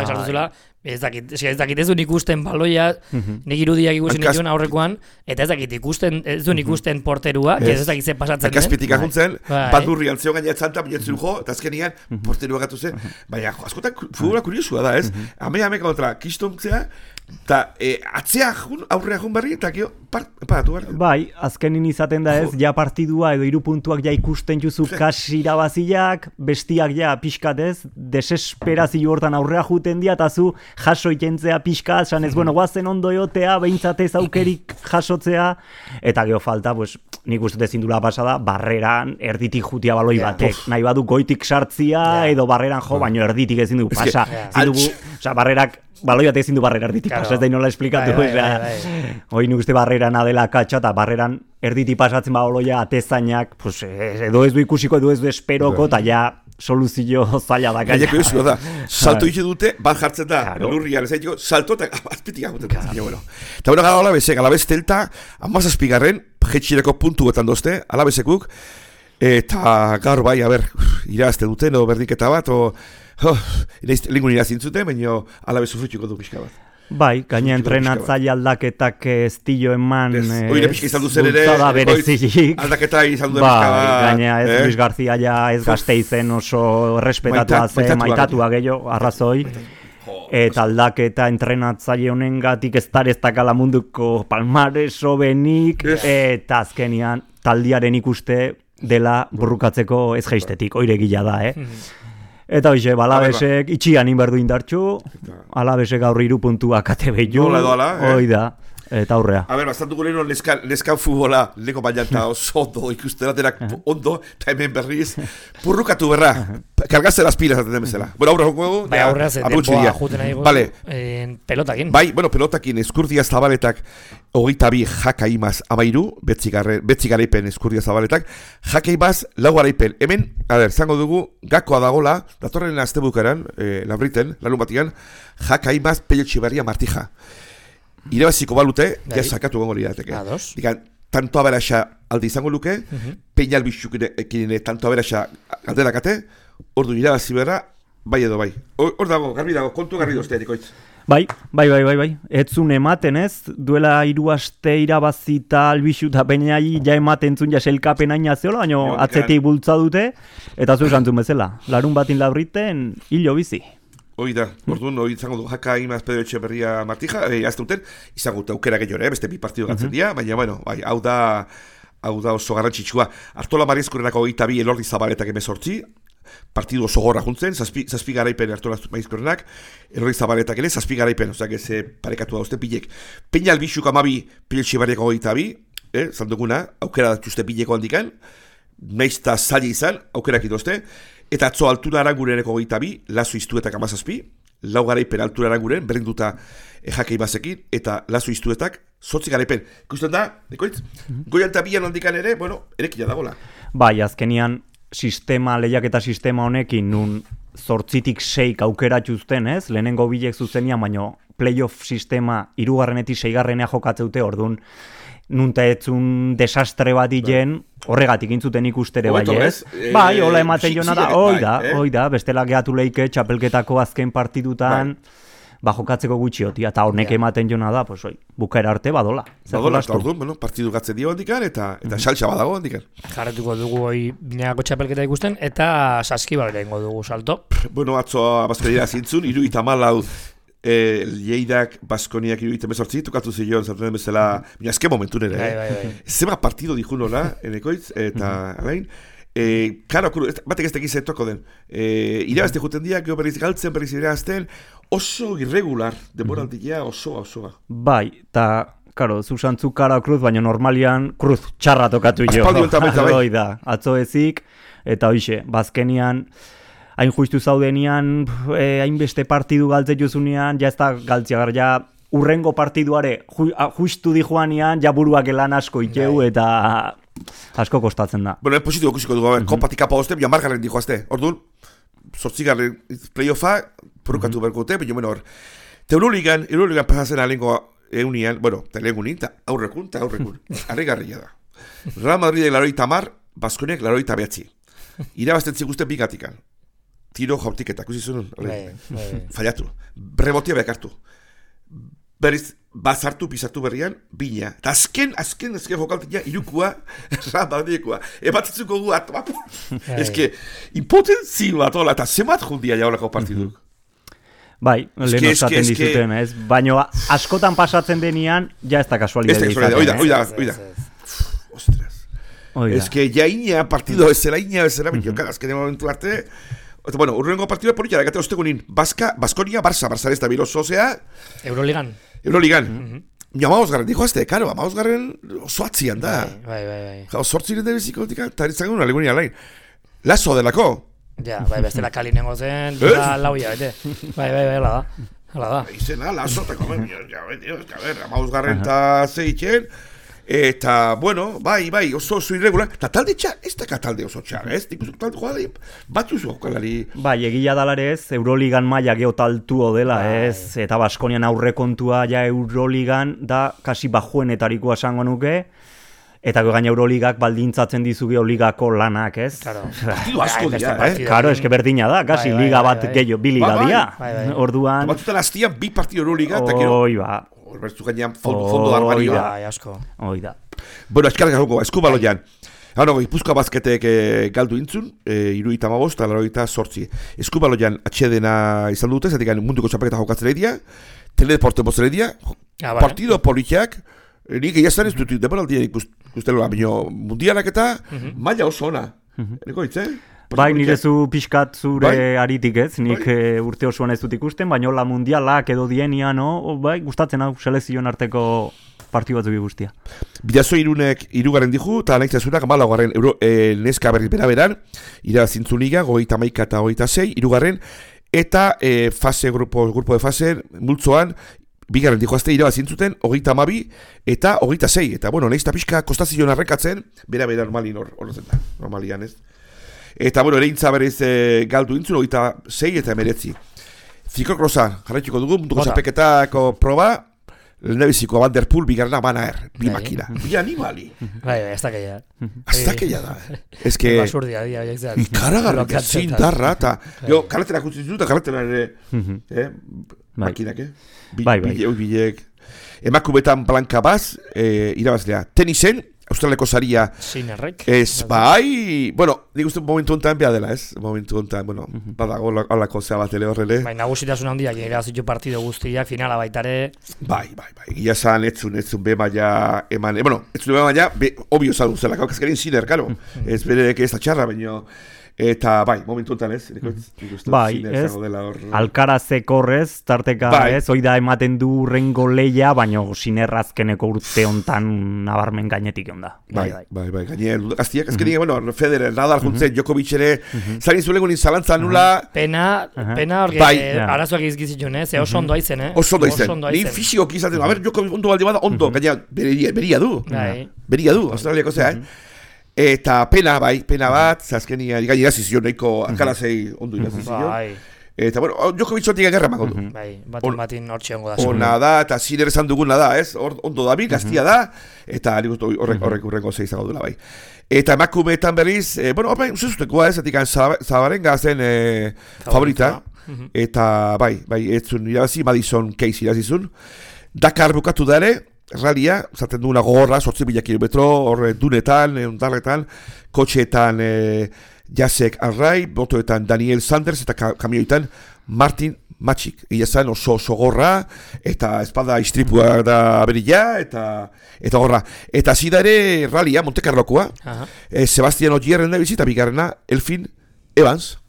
ez dakit ez duen ikusten baloia, nik irudiak ikusten nituen aurrekoan, eta ez dakit ez duen ikusten porterua, ez dakit ze pasatzen den. Akazpitik ahuntzen, bat durri altzeo gaina etzanta, binetzen jo, eta azkenian porterua gatu zen. Baina, askotan futbola kuriosua da, ez? Hame kontra kistontzea, eta atzea aurrea jun berri, eta kio, paratu behar. Bai, azkenin izaten da ez, ja partidua edo 3 puntuak ja ikusten juzu kasi irabaziak, bestiak ja pixkat ez, desesperazio hortan aurrea juten dia, eta zu jaso ikentzea pixkat, esan ez, bueno, guazen ondo eotea, behintzatez aukerik jasotzea, eta geho falta, pues, nik uste ezindula pasada, barreran erditik jutia baloi batek, nahi badu goitik sartzia, edo barreran jo, baino erditik ezin du pasa. Barrerak, baloi bat ezin du barrera erditik pasa, ez da inola esplikatu. Hoi nik uste barreran adela katxa, eta barreran erditik pasatzen baloia atezainak, edo ez du ikusiko, edo ez du esperoko, eta ja soluzio zaila da. Gaineko eusiko da, salto ite dute, bat jartzen da, lurrian, ez daiteko, salto eta azpitik aguten. Eta bueno, gara Alabez telta, 17. jetxireko puntuetan dozte, Alabezekuk, eta gaur bai, irazte duten, o berdinketa bat, lingun irazintzuten, baina Alabez sufritxuko du pixka bat. Bai, gaina entrenatzaile aldaketak estillo eman oire pixka izan duzen ere aldaketa izan duen pixka bat. Gaina ez Luis García ja ez Gasteizen oso errespetatua zen, maitatua gehiago, arrazoi. Eta aldaketa entrenatzaile honen gatik ez dakala munduko palmareso benik, eta azkenian taldiaren ikuste dela burrukatzeko ez jaistetik, oire gila da, Eta hoxe, Alabesek itxian inberdu indartxu, Alabesek gaur 3 puntuak ate behiu, hoi da, eta aurrea. Bastantuko leheno neskan futbola, leko baina oso ondo ikusteraterak ondo, eta hemen berriz, burrukatu berra, kargatzen las pilas aten demezela. Bueno, aurra joko dugu, aurra zetempoa juten nahi godu, pelotakin. Bai, pelotakin, Eskurdia Zabaletak, 22 jaka imaz 13, betzi garaipen Eskurdia Zabaletak, jaka imaz 4 garaipen. Hemen, zango dugu, gakoa dagola, datorren astebukaran, labriten, larun batian, jaka imaz Pello Txiberria Martija. Irabaziko balute, ja sakatu gongo lirateke. Digan, tanto aberaxa alde izango luke, peina albixukin tanto aberaxa galderakate, ordu irabazi berra, bai edo bai. Hor dago, garbi dago, kontu garbi dozteatik oitz. Bai. Etzun ematen ez, duela 3 aste irabazita albixu eta peinai ja ematen zun ja selkapen aina zeola, baina atzetik bultza dute, eta zu esantzun bezala, larun batin labriten hilo bizi. Hoi da, orduan, izango du Jaka Imaz Pedro Etxeberria Martija, azte duten, izango dut aukera gehiore, beste bi partidu gatzen dira, baina, bueno, bai, hau da oso garrantzitsua. Artola Marizkurrenako 22, Elordi Zabaletak 18, partidu oso gorra juntzen, zazpi garaipen Artola Marizkurrenak, Elordi Zabaletak ere, zazpi garaipen, ozak ez parekatu dauzte pilek. Peña Albixuk 12, Piletxe Barriako 22, zalduguna, aukera datuzte pileko handikan, naizta zaila izan, aukerak itozte, eta atzo altura arangureneko 22, Lazo Iztuetak 17, lau garaipen altura aranguren, berdinduta Jaka Imazekin, eta Lazo Iztuetak 8 garaipen. Ikusten da, dekoitz? Goian eta bian handikan ere, bueno, erekila dagoela. Bai, azkenian lehiaketa sistema honekin, nun 8tik 6 aukeratuzten, ez? Lehenengo bilek zuzenian, baino playoff sistema 3. 6. jokatzeute, orduan, nunta etzun desastre bat diren, horregatik intzuten ikustere bai, ez? Bai, hola ematen jona da, hoi da, bestela gehatu leike txapelketako azken partidutan, jokatzeko gutxiotia, eta honek ematen jona da, pues oi, bukaera arte badola. Badola, eta orduan, partidu gatzen dio handikan, eta saltsa badago handikan. Jarretuko dugu hoi binagako txapelketa ikusten, eta Saskibalera ingo dugu salto. Bueno, atzo Bazkaria zintzun, 74 Lleidak Baskoniak 78, tokatu zion, zartu den bezala, bina azken momentun ere, zema partido diju nola, enekoitz, eta alain, karo, batek ez tekiz toko den, irabazte juten dia, geho berriz galtzen, berriz irabazten, oso irregular, demoraldia osoa. Bai, eta, karo, zuzantzu kara Cruz, baina normalian Cruz txarra tokatu jo. Bai. Atzo ezik, eta hoxe, bazkenian, hain justu zaudenian, hainbeste partidu galtze juzunean, ja ez da galtzia gar, ja urrengo partiduare justu dijoanean, ja buruak elan asko iteu, eta asko kostatzen da. Bueno, positibo kusiko dugu, kopatik kapa hozte, bia margarren dijoazte, orduan, 8. playoffa, porukatu berkote, baina bueno, Euroligan pasazen alengo eunian, bueno, telegunin, eta aurrekun, arregarria da. Real Madridek 80, Baskoniak 89. Irabazten zikusten bigatikan. Tiro jaurtiketak, uzizun, fallatu. Rebotia bekartu. Berriz, bazartu, pisatu berrian, bina. Eta azken jokaltia, irukua, ramadekua. Ebatitzuko gu, eske, impotenzio bat, eta zemat jundia jaulako partiduk. Bai, lehen osaten dizuten, ez? Baina askotan pasatzen denean, ja ez da kasualidade izaten. Oida. Ostras. Eske, jaina partido ezera, azken momentu arte. Eta, bueno, urrengo partidua politia, egate ostegunin, Baskonia, Barça ez da biloso, Euroligan. Amabosgarren, dijo azte, karo, Amabosgarren oso atzian da. Bai. Sortziren da bizikotika, eta eritzagun una legunia alain. Lazo delako. Ja, bai, bestela kalinengo zen, lauia, bete. Bai, hala da. Izena, Lazo, eta komen, Amabosgarren eta zeitzen, eta, bueno, bai, oso irregular. Eta talde txar, ez da talde oso txar, ez? Dikuzuk talde joa batzuzu jokalari. Bai, egila dalarez, Euroligan maila geotaltuo dela, ez? Eta Baskonian aurrekontua ja Euroligan da kasi bajuenetarikoa esango nuke. Eta gaina Euroligak baldintzatzen dizu Euroligako lanak, ez? Claro. Partidu asko dira, Claro, eske berdina da, kasi liga bat gehiago, bi liga dira. Orduan... Batzutan hastian bi partidu Euroliga, eta kero... Oiba. Bertu gainean fondo armarioa. Asko. Oida. Bueno, eskarrak gauko, eskubaloian. Gipuzkoa bazketek galdu intzun, 75 eta 88. Eskubaloian atxedena izan dute, zatik munduko txapeketa jokatzen edia, teledeporte bozen edia, partido politiak, nik egiazan ez dut, demoraldian ikusteloa, baina mundialak eta maila oso ona. Eko hitz, Bai, nire zu pixkat zure aritik ez, nik urte osoan ez dut ikusten, baina la mundialak edo dienian, bai, gustatzen hau selekzioen arteko partidu batzuk guztia. Bidazo irunek irugarren dihu, eta nahi zazunak malagoaren neska berriz beraberan, irabazintzun liga, 31 eta 26, irugarren, eta grupo de fase, multzoan, bigarren dihu azte irabazintzuten, 32 eta 26, eta bueno, nahi pixka kostazion arrekatzen, bera normalin horretzen da, normalian ez. Eta, bueno, ereintza berez galdu intzun, 26 eta 19. Ziklokrosa, jarraituko dugu, munduko txapeketako proba, lehendabiziko Vanderpool, bigarrena Banaer, bi makina. Bi animali. Bai, ez da keia. Ez da keia da. Ez que... Basurdia, ikaragarrik, zintarra, eta... Karretera kutzen dut, eta karretera ere... Makinak, Bai. Bilek... Emakumetan Blanka Baz, irabazlea. Tenisen, Australiako saria. Sinerrek. Ez, bai, bueno, nik uste momentu honetan behar dela, ez? Momentu honetan, bueno, badago alako zea bat ele horrele. Bai, nagusitasun handiak irabazitu partido guztiak, finala baitare. Bai. Gila zan, etzun be maia eman, bueno, etzun be maia, obio zan duzela, kaukazkerin Sinner, karo. Ez berek ez da txarra, baino. Eta bai, momentu honetan ez, bai, ez, Alcarazeko horrez, tarteka ez, oida ematen du rengo leia, baina Sinerrazkeneko urte hontan nabarmen gainetik onda. Bai, gaine, gaztiak, azkenik, bueno, Federer, Nadal juntzen, Djokovic ere, zain zulegun zalantza nula. Pena horge, arazoak izgizitun, ez, oso ondo aizen, Oso ondo aizen, ni fizikoki izaten, a ber, Djokovic ondo baldi bada, ondo, gaina, beria du, Australiako zea, Eta pena bat, azkenia, gai irazizion, nahiko Alcarazei ondo irazizion. Eta, bueno, Djokovic ontik agerra mago du. Batin hortxe ongo da. Ona da, eta Sinner esan duguna da, ez? Ondo da, gaztia da, eta horrek urrengo zeizago dula, bai. Eta emakumeetan berriz, bueno, usuzutekoa ez, etik Zabarenga zen favorita. Eta, bai, etzun irabazi, Madison Keys irazizun. Dakar bukatu da ere, Ralia, zaten duguna gogorra, 8.000 kilometro, horre dunetan, ondarretan, kotxeetan Jacek Arrai, botoetan Daniel Sanders eta kamioetan Martin Matxik. Ila zen oso gorra, eta espada istripua da berila, eta gorra. Eta zida ere Ralia, Monte Carlokoa, Sebastian Ogierren da bizita, bigarrena, Elfin Evans.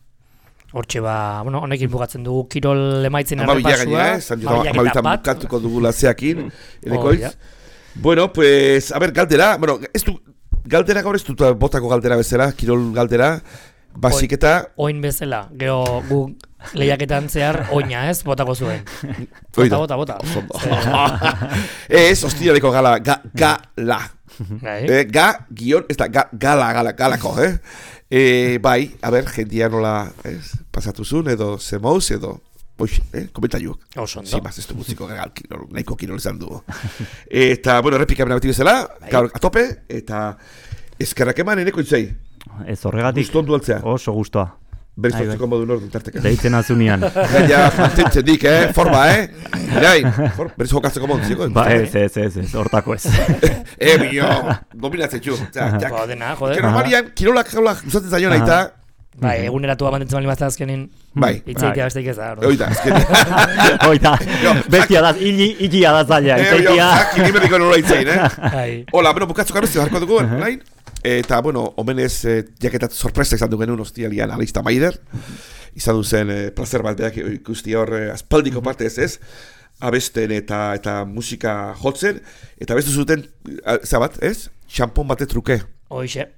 Hortxe bueno, honekin bukatzen dugu kirol emaitzen errepasua. Amabitan bukatuko dugu latzeakin, elekoiz. Bueno, pues, a ver, galdera, bueno, galdera gaur ez dut botako galdera bezala, kirol galdera, basik eta... Oin bezala, gero gu lehiaketan zehar oina ez, botako zuen. Bota. Ez, hostialeko gala. Ez da, galako, bai, a ber, jendia nola pasatuzun, edo zemouz, edo komentaiuak. Zimaz, ez du muziko nahiko kirol izan dugu. Eta, bueno, repika bena beti bezala, gaur atope, eta eskerrak eman eneko itzei. Ez horregatik. Guztu ondu altzea. Oso guztua. Beriztotzeko modu nordun tarteka. Deitzen azunean. Gaia, mantentzen dik, forma, Irain, beriz jokatzeko modu ziko. Ez, hortako ez. Bio, dominatzen txu. Dena, joder. Normalian, kirolak usatzen zaion aita. Bai, eguneratua mantentzen bali mazta azkenin. Bai. Itzeitea besteik ez da. Oita, azkenin. Oita, bestia da, ilia da zaila. Itzeitea. Nimeriko nola itzein, Hola, bueno, bukatzuk arrezio, jarko dugu, nahin? Eta, bueno, omenez, jaketat sorpresa izan du genuen hostialian Alista Maider. Izan duzen placer bat beak ikusti hor aspaldiko parte ez, abesten eta musika jotzen. Eta abestu zuten, zabat, ez? Xampon bate truke. Hoxe.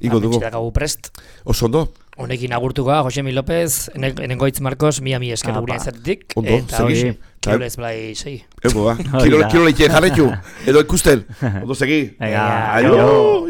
Ingo dugu. Ametxetak prest. Oso ondo. Honekin agurtuko, Josemi López, enengoitz Marcos, mi esker gurean izatetik. Ondo, segi. Kirol ez blai segi. Ego, ba. Kirol leitxe jarretu. Edo ikusten. Ondo segi. Aio.